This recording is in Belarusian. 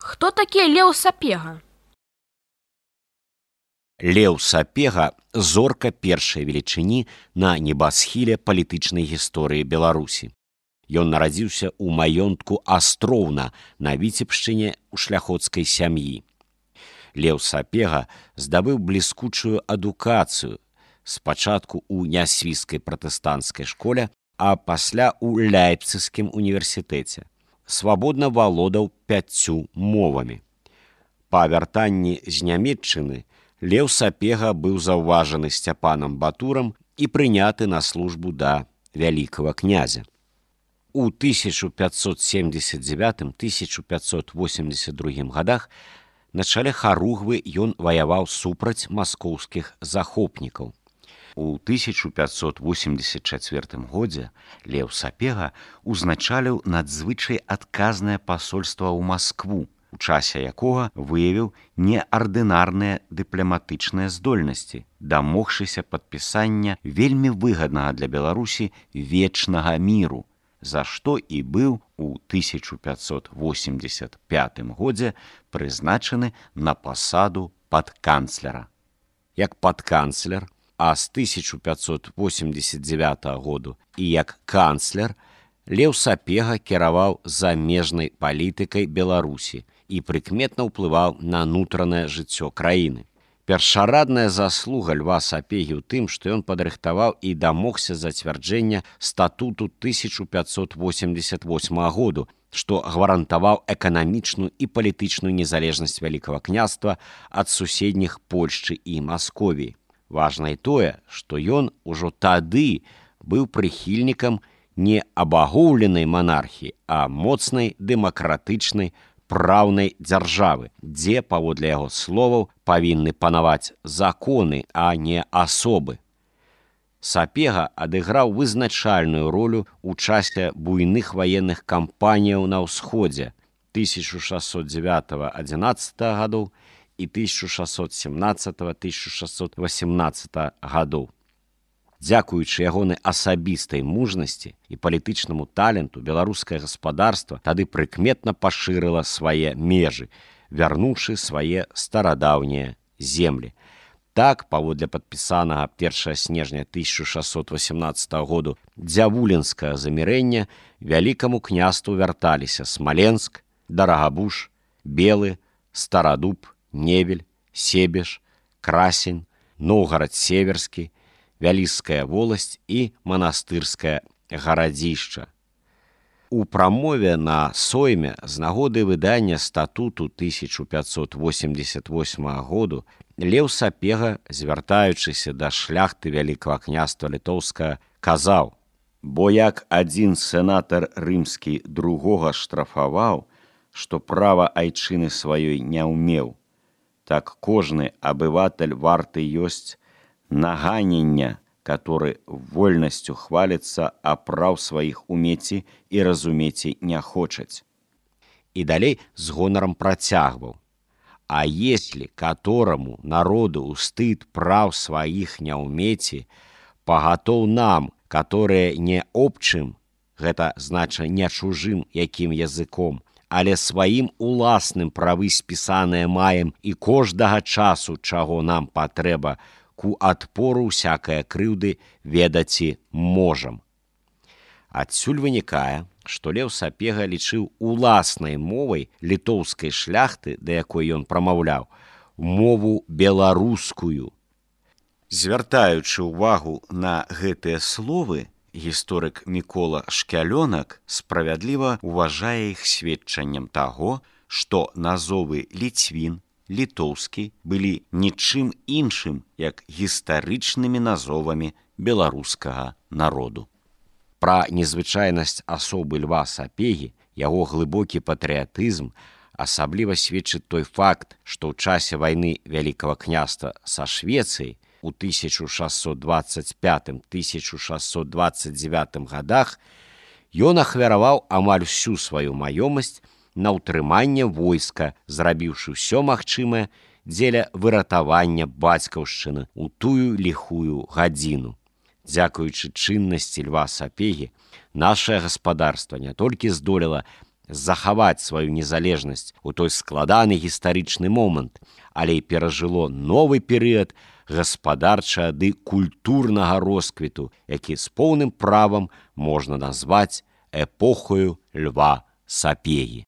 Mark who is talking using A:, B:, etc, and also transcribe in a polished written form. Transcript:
A: Хто такі Леў Сапега?
B: Леў Сапега – зорка першай велічыні на небасхіле палітычнай гісторыі Беларусі. Ён нарадзіўся ў маёнтку Астроўна на Віцебшчыне ў шляхоцкай сям'і. Леў Сапега здабыў бліскучую адукацыю, спачатку ў нясвіжскай пратэстанцкай школе, а пасля ў Ляйпцыгскім універсітэце. Свабодна валодаў 5 мовамі. Па вяртанні з Нямецчыны Леў Сапега быў заўважаны Сцяпанам Батурам і прыняты на службу да вялікага князя. У 1579-1582 годах на чале Харугвы ён ваяваў супраць маскоўскіх захопнікаў. У 1584 годзе Леў Сапега узначаліў надзвычай адказнае пасольства ў Маскву, у часе якога выявіў неардынарныя дыпламатычныя здольнасці, дамогшыся падпісання вельмі выгаднага для Беларусі вечнага міру, за што і быў у 1585 годзе прызначаны на пасаду падканцлера. Як падканцлер, а з 1589 году і як канцлер, Леў Сапега кіраваў замежнай палітыкай Беларусі і прыкметна ўплываў на нутранае жыццё краіны. Першарадная заслуга Льва Сапегі ў тым, што ён падрыхтаваў і дамогся зацвярджэння статуту 1588 году, што гарантаваў эканамічную і палітычную незалежнасць Вялікага княства ад суседніх Польшчы і Масковіі. Важна і тое, што ён ужо тады быў прыхільнікам не абагоўленай манархіі, а моцнай дэмакратычнай праўнай дзяржавы, дзе, паводле яго словаў, павінны панаваць законы, а не асобы. Сапега адыграў вызначальную ролю ў часе буйных ваенных кампаніяў на ўсходзе 1609-11 гадоў і 1617-1618 гадоў. Дзякуючы ягонай асабістай мужнасці і палітычнаму таленту беларускае гаспадарства тады прыкметна пашырыла свае межы, вярнуўшы свае старадаўнія землі. Так, паводле падпісанага 1 снежня 1618 году дзявулінскага замірэння, вялікаму княству вярталіся Смаленск, Дарагабуш, Белы, Старадуб, Невель, Себеж, Красень, Новгарад-Северскі, Вяліская воласць і манастырскае гарадзішча. У прамове на сойме з нагоды выдання статуту 1588 году Леў Сапега, звяртаючыся да шляхты Вялікага княства літоўскага, казаў: «Бо як адзін сенатар рымскі другога штрафаваў, што права айчыны сваёй не ўмеў, так кожны абыватель варты ёсць наганення, который вольнасцю хвалится, а прав своих уметі і разуметі не хочаць». І далей з гонарам працягваў: «А если которому народу устыд прав своих не уметі, пагатоў нам, которые не обчым, гэта знача не чужым якім языком, але сваім уласным правы спісаныя маем і кожнага часу, чаго нам патрэба, ку адпору всякае крыўды ведаці можам». Адсюль вынікае, што Леў Сапега лічыў уласнай мовай літоўскай шляхты, да якой ён прамаўляў, мову беларускую. Звяртаючы ўвагу на гэтыя словы, гісторык Мікола Шкялёнак справядліва ўважае іх сведчаннем таго, што назовы ліцвін, літоўскі былі нічым іншым, як гістарычнымі назовамі беларускага народу. Пра незвычайнасць асобы Льва Сапегі, яго глыбокі патрыятызм асабліва сведчыць той факт, што ў часе вайны Вялікага княства са Швецыяй у 1625-1629 годах ён ахвяраваў амаль всю сваю маёмасць на ўтрыманне войска, зрабіўшы ўсё магчымае дзеля выратавання бацькаўшчыны ў тую ліхую гадзіну. Дзякуючы чыннасці Льва Сапегі, нашае гаспадарства не толькі здолела захаваць сваю незалежнасць у той складаны гістарычны момант, але і перажыло новы перыяд гаспадарчага ды культурнага росквіту, які з поўным правам можна назваць эпохаю Льва Сапегі.